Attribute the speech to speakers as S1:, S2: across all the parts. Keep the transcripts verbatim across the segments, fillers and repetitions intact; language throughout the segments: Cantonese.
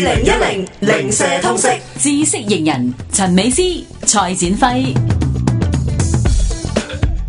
S1: 零一零零舍通識
S2: 知識型人陳美詩、蔡展輝。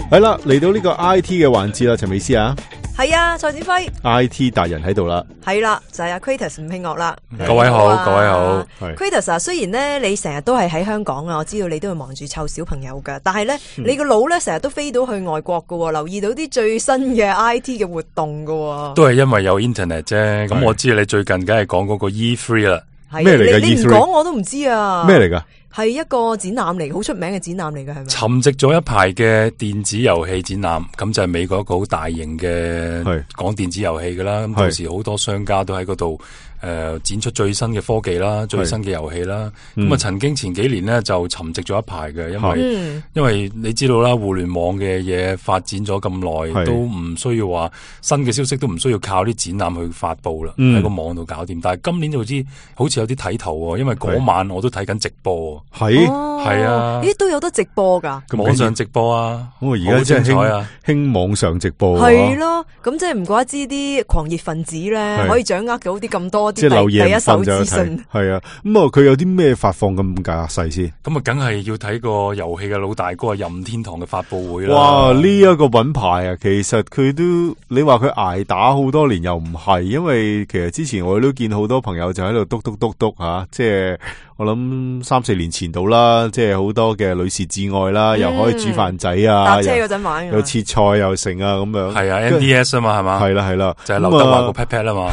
S3: 係啦，嚟到呢個 I T 嘅環節啦，陳美詩啊，
S1: 係啊，蔡展輝
S3: I T 達人喺度啦，
S1: 係啦，就係阿 Kratos 吳慶岳啦。
S4: 各位好，各位好。
S1: Kratos 啊，雖然咧你成日都係喺香港啊，我知道你都會忙住湊小朋友噶，但係咧、嗯、你個腦咧成日都飛到去外國噶，留意到啲最新嘅 I T 嘅活動噶。
S4: 都係因為有 internet 啫。咁我知你最近梗係講嗰個 E 三 啦。
S3: 咩嚟嘅 E 三？
S1: 你唔講我都唔知啊。咩
S3: 嚟噶？
S1: 係一個展覽嚟，好出名嘅展覽嚟嘅，係咪？
S4: 沉寂咗一排嘅電子遊戲展覽，咁就係美國一個好大型嘅講電子遊戲噶啦。咁到時好多商家都喺嗰度誒展出最新嘅科技啦，最新嘅遊戲啦。咁啊、嗯，曾經前幾年呢就沉寂咗一排嘅，因為、嗯、因為你知道啦，互聯網嘅嘢發展咗咁耐，都唔需要話新嘅消息都唔需要靠啲展覽去發布啦，喺、嗯、個網度搞掂。但係今年就知好似有啲睇頭喎，因為嗰晚我都睇緊直播。
S3: 係
S4: 係啊，
S1: 咦都有得直播噶？
S4: 網上直播啊，
S3: 我而家真係興興網上直播。
S1: 係咯，咁即係唔怪之啲狂熱分子咧，可以掌握到啲咁多啲第一手資訊。
S3: 係啊，咁啊佢有啲咩發放咁架勢先？
S4: 咁啊，梗係要睇個遊戲嘅老大哥任天堂嘅發佈會啦。
S3: 哇！呢、這、一個品牌啊，其實佢都你話佢挨打好多年又唔係，因為其實之前我都見好多朋友就喺度篤篤篤篤吓，即係。我諗三四年前到啦，即係好多嘅女士至愛啦、嗯，又可以煮飯仔啊，
S1: 搭車嗰陣玩，
S3: 又切菜又成啊，咁樣。
S4: 係啊 ，N D S 啊嘛，係嘛？
S3: 係啦係啦，
S4: 就係劉德華個 pat pat 啊嘛。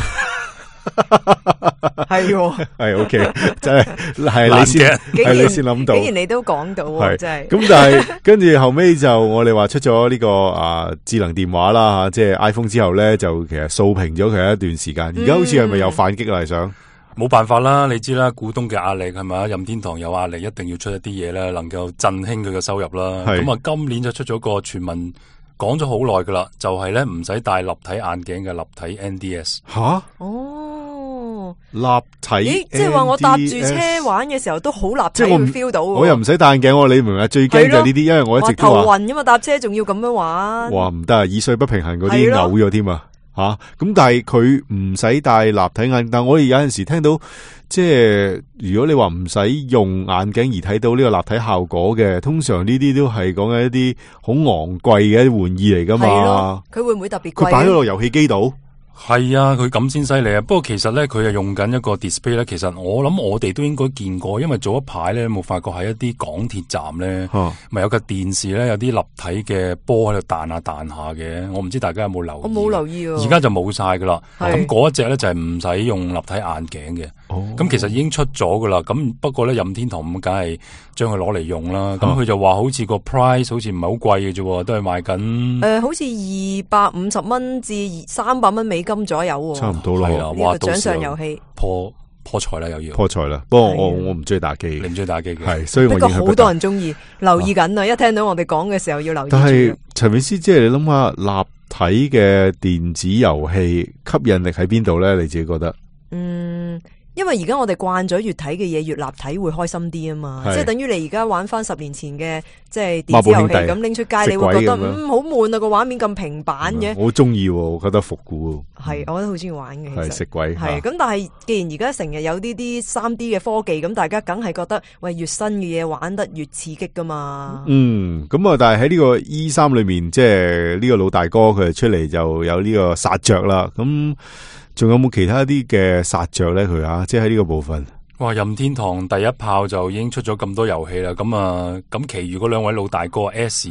S1: 係
S3: 係 OK，真係係你先係你先諗到，
S1: 竟然你都講到，係真係。
S3: 咁但係跟住後尾就我哋話出咗呢、這個啊智能電話啦吓，即係 iPhone 之後咧，就其實掃平咗佢一段時間。而家好似係咪又反擊啦？係想？
S4: 冇辦法啦，你知啦，股東嘅壓力係咪？任天堂有壓力，一定要出一啲嘢咧，能夠振興佢嘅收入啦。咁啊，今年就出咗個傳聞，講咗好耐噶啦，就係咧唔使戴立體眼鏡嘅立體 N D S。
S3: 吓？
S1: 哦，
S3: 立體 N D S？
S1: 咦，即係話我搭住車玩嘅時候都好立體，會 feel 到。我
S3: 又唔使戴眼鏡，你明唔明啊？最驚就係呢啲，因為我一直都話
S1: 頭暈噶嘛，搭車仲要咁樣玩。
S3: 哇，唔得啊！耳水不平衡嗰啲嘔咗添啊！吓、啊、咁，但係佢唔使戴立體眼鏡，但我哋有陣時聽到，即係如果你話唔使用眼鏡而睇到呢個立體效果嘅，通常呢啲都係講緊一啲好昂貴嘅玩意嚟噶嘛。
S1: 佢會唔會特別貴？
S3: 佢擺咗落遊戲機度。
S4: 係啊，佢咁先犀利啊！不過其實咧，佢係用緊一個 display 咧。其實我諗我哋都應該見過，因為早一排咧，冇發覺喺一啲港鐵站咧，咪、啊、有個電視咧，有啲立體嘅波喺度彈下彈下嘅。我唔知大家有冇留意？
S1: 我冇留意啊！
S4: 而家就冇晒噶啦。咁嗰一隻咧就係唔使用立體眼鏡嘅。咁、哦、其實已經出咗噶啦。咁不過咧，任天堂咁梗係將佢攞嚟用啦。咁、啊、佢就話好似個 price 好似唔係好貴嘅啫，都係賣緊誒、
S1: 呃，好似二百五十蚊至三百蚊美金左右，
S3: 差唔多咯。
S4: 係啦，
S1: 哇！呢個獎賞遊戲
S4: 破破財啦，又要
S3: 破財啦。不過我我唔中意打機，
S4: 你唔中意打機嘅
S3: 係，所以我
S1: 不過好多人中意留意緊啊！一聽到我哋講嘅時候要留意。
S3: 但係陳美詩，即係你諗下立體嘅電子遊戲吸引力喺邊度咧？你自己覺得？嗯。
S1: 因為而家我哋慣咗越睇嘅嘢越立體會開心啲啊嘛，即係等於你而家玩翻十年前嘅即係電子遊戲咁拎出街，你會覺得嗯好悶啊，個畫面咁平板嘅。
S3: 我中意，我覺得復古。
S1: 係，我覺得好中意玩嘅。
S3: 係食鬼。
S1: 係咁，但係既然而家成日有呢啲三 D 嘅科技，咁大家梗係覺得喂越新嘅嘢玩得越刺激噶嘛。
S3: 嗯，咁啊，但係喺呢個 E 三裏面，即係呢個老大哥佢出嚟就有呢個殺着啦，咁。仲有冇其他啲嘅殺着咧？佢啊，即係喺呢個部分。
S4: 哇！任天堂第一炮就已經出咗咁多遊戲啦，咁啊，咁其餘嗰兩位老大哥 S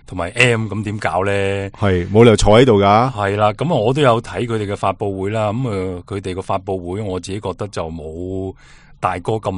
S4: 同埋 M 咁點搞咧？係
S3: 冇理由坐喺度噶。
S4: 係啦，咁啊，我都有睇佢哋嘅發佈會啦。咁啊，佢哋個發佈會我自己覺得就冇大哥咁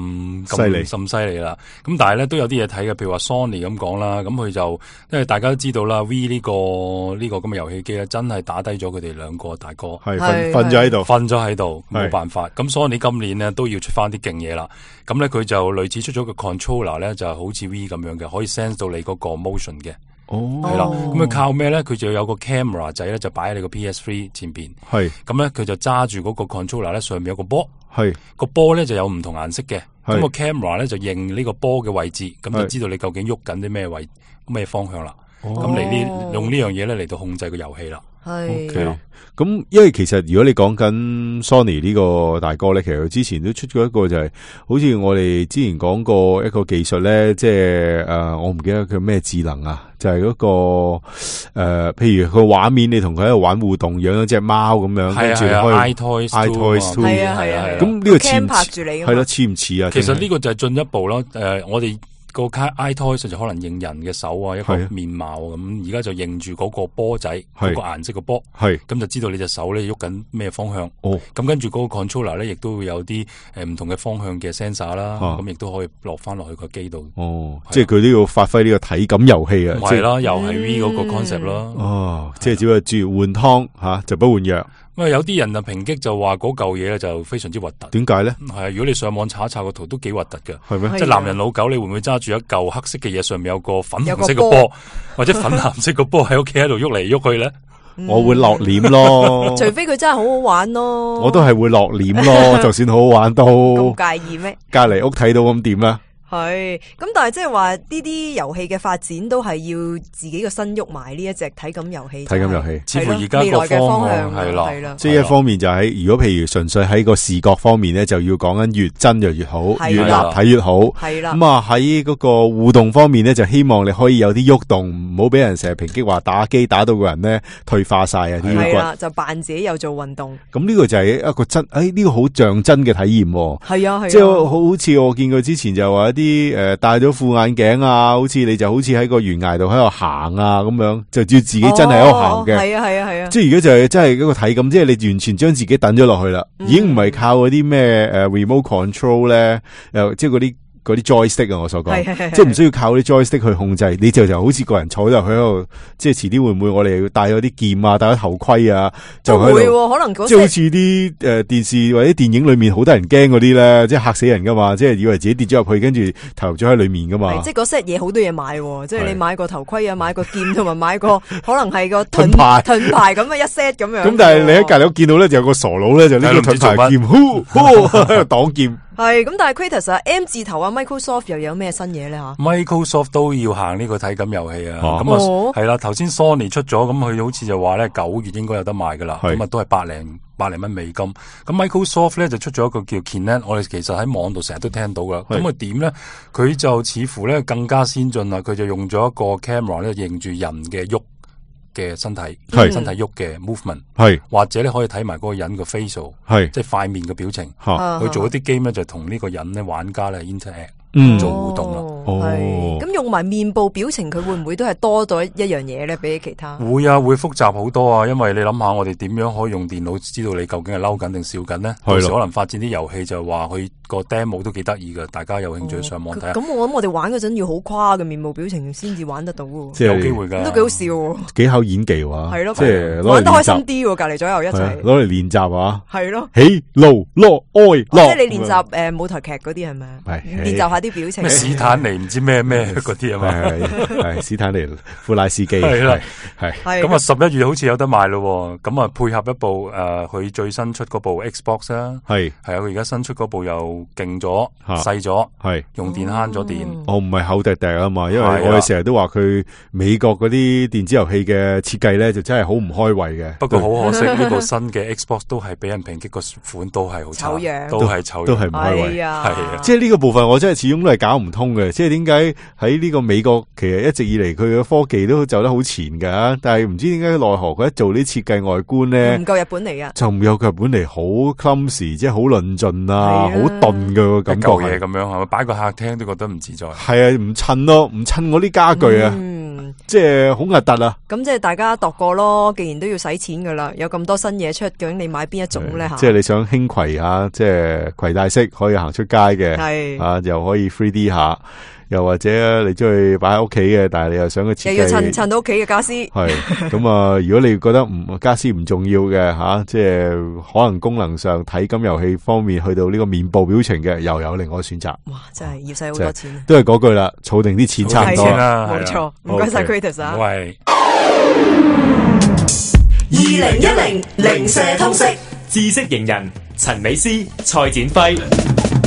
S4: 咁咁犀利啦，咁但係咧都有啲嘢睇嘅，譬如話 Sony 咁講啦，咁佢就因為大家都知道啦 ，V 呢、呢個呢、呢個咁嘅遊戲機咧，真係打低咗佢哋兩個大哥，
S3: 係瞓瞓咗喺度，
S4: 瞓咗喺度，冇辦法。咁 Sony 今年咧都要出翻啲勁嘢啦，咁咧佢就類似出咗個 controller 咧，就好似 V 咁樣嘅，可以 sense 到你嗰個 motion 嘅。哦，係啦，咁佢靠咩咧？佢就有個 camera 仔咧，就擺喺你個 P S 三 前邊。係，咁咧佢就揸住嗰個 controller 咧，上面有個波。係，個波咧就有唔同顏色嘅。咁個 camera 咧就認呢個波嘅位置，咁就知道你究竟喐緊啲咩位咩方向啦。咁嚟呢用呢樣嘢咧嚟到控制個遊戲啦。
S1: 係。
S3: Okay. 咁，因為其實如果你講緊 Sony 呢個大哥咧，其實佢之前都出過一個就係、是，好似我哋之前講過一個技術咧，即係誒、呃，我唔記得佢咩智能啊，就係、是、嗰、那個誒、呃，譬如個畫面你同佢喺度玩互動，養咗隻貓咁樣，跟住開
S4: iToys
S3: iToys Two，
S1: 係啊係啊，
S3: 咁呢個似唔
S1: 拍住你
S3: 係咯，似唔似啊？
S4: 其實呢個就係進一步啦，誒、呃，我哋。個 iToys 就可能認人嘅手啊，一個面貌咁，而家就認住嗰個波仔，嗰個顏色嘅波，咁就知道你隻手咧喐緊咩方向。哦，咁跟住嗰個 controller 咧，亦都會有啲誒唔同嘅方向嘅 sensor 啦，咁亦都可以落翻落去個機度。
S3: 哦，即係佢都要發揮呢個體感遊戲啊！
S4: 係啦，又係 V 嗰個 concept 啦。
S3: 哦，即係只係住換湯吓，就不換藥。
S4: 咁啊，有啲人啊抨擊就話嗰嚿嘢咧就非常之核突。點
S3: 解咧？
S4: 係啊，如果你上網查一查個圖都幾核突嘅。
S3: 係咩？
S4: 即係男人老狗，你會唔會揸住一嚿黑色嘅嘢，上面有個粉紅色嘅波，或者粉藍色嘅波喺屋企喺度喐嚟喐去咧？
S3: 我會落臉咯。
S1: 除非佢真係好好玩咯。我
S3: 都係會落臉咯，就算好好玩都。
S1: 咁介意咩？
S3: 隔籬屋睇到咁點咧？
S1: 係，咁但係即係話呢啲遊戲嘅發展都係要自己個身喐埋呢一隻體感遊戲。
S3: 體感遊戲，
S4: 似乎而家個方向係啦，係啦。
S3: 即係一方面就喺如果譬如純粹喺個視覺方面咧，就要講緊越真就越好，越立體越好。係啦。咁啊喺嗰個互動方面咧，就希望你可以有啲喐動，唔好俾人成日抨擊話打機打到個人咧退化晒啊啲
S1: 係啦，就扮自己有做運動。
S3: 咁呢個就係一個真，誒呢個好像真嘅體驗。
S1: 係啊係。
S3: 即係好似我見佢之前就話一啲誒戴咗副眼鏡啊，好似你就好似喺個懸崖度喺度行啊咁樣，就照自己真係喺度行嘅。係啊係啊係啊！即係而家就係真係一個體感，即係你完全將自己等咗落去啦，嗯、已經唔係靠嗰啲咩誒 remote control 咧，誒即係嗰啲。嗰啲 joystick 啊，我所講，即係唔需要靠啲 joystick 去控制，你就就好似個人坐咗喺度，即係遲啲會唔會我哋戴咗啲劍啊，戴咗頭盔啊，就喺度，會可能即係好似啲誒電視或者電影裏面好多人驚嗰啲咧，即係嚇死人噶嘛，即係以為自己跌咗入去，跟住投入咗喺裏面噶嘛。即係嗰 set 嘢好多嘢買，即係你買個頭盔啊，買個劍同埋買個可能係個盾牌盾牌咁啊一 set 咁樣。咁但係你喺隔籬屋見到咧，就有個傻佬咧，就呢個盾牌劍，呼呼喺度擋劍。係咁，但係 Kratos 啊 ，M 字頭啊 ，Microsoft 又有咩新嘢咧吓
S4: ？Microsoft 都要行呢個體感遊戲啊，咁啊係啦。頭先 Sony 出咗，咁佢好似就話咧九月應該有得賣噶啦，咁啊都係百零百零蚊美金。咁 Microsoft 咧就出咗一個叫 Kinect， 我哋其實喺網度成日都聽到噶。咁佢點咧？佢就似乎咧更加先進啦，佢就用咗一個 camera 咧認住人嘅喐嘅身體，身體喐嘅 movement， 係或者你可以睇埋嗰個人嘅 facial， 係即係塊面嘅表情，去做一啲 game 咧就同呢個人咧玩家咧 interact。嗯，做互動啦，
S1: 哦，咁用埋面部表情，佢會唔會都係多咗一樣嘢咧？比起其他
S4: 會啊，會複雜好多啊！因為你諗下，我哋點樣可以用電腦知道你究竟係嬲緊定笑緊呢？到時可能發展啲遊戲就話佢個 demo 都幾得意噶，大家有興趣上網睇下。咁、哦、我諗我哋玩嗰陣要好誇嘅面部表情先至玩得到喎，
S3: 即係
S4: 有機會噶，
S1: 都幾好笑，
S3: 幾考演技喎，係咯，即係
S1: 玩得開心啲喎，隔籬左右一齊
S3: 攞嚟練習啊，
S1: 係咯，
S3: 喜怒樂哀樂，
S1: 即係你練習誒舞台劇嗰啲係咪？係練習下啲表情。
S4: 史坦尼唔知咩咩嗰啲啊嘛，
S3: 係史坦尼富拉斯基係啦，係
S4: 咁啊十一月好似有得賣咯，咁啊配合一部誒佢最新出嗰部 Xbox 啦，係係啊佢而家新出嗰部又勁咗細咗，係用電慳咗電，
S3: 我唔係厚滴滴啊嘛，因為我哋成日都話佢美國嗰啲電子遊戲嘅設計咧就真係好唔開胃嘅，
S4: 不過好可惜呢部新嘅 Xbox 都係俾人抨擊個款都係好醜樣，都係醜，
S3: 都係唔開胃，係
S1: 啊，
S3: 即係呢個部分我真係始終都係搞唔通嘅，即係點解喺呢個美國其實一直以嚟佢嘅科技都走得好前噶，但係唔知點解奈何佢一做啲設計外觀咧
S1: 唔夠日本嚟噶，
S3: 就唔夠日本嚟好 clumsy， 即係好論盡啊，好鈍嘅感覺
S4: 嘢咁樣係咪？擺個客廳都覺得唔自在，
S3: 係啊，唔襯咯，唔襯我啲家具啊，嗯、即係好核突啊！
S1: 咁即係大家度過咯，既然都要使錢噶啦，有咁多新嘢出，究竟你買邊一種咧？
S3: 即係你想輕攜下，即係攜帶式可以行出街嘅，係啊，又可以 three D 下。又或者你中意擺喺屋企嘅，但係你又想佢設計，
S1: 又要襯襯到屋企嘅家私。係
S3: 咁啊！如果你覺得唔家私唔重要嘅吓、啊，即係可能功能上體感遊戲方面去到呢個面部表情嘅，又有另外選擇。哇！真係要使好多錢。都係嗰句啦，儲定啲錢差唔多
S4: 啦。
S1: 冇錯，唔該晒 Kratos 啊。
S4: 喂，
S5: 二零一零零舍通識知識型人陳美詩、蔡展輝。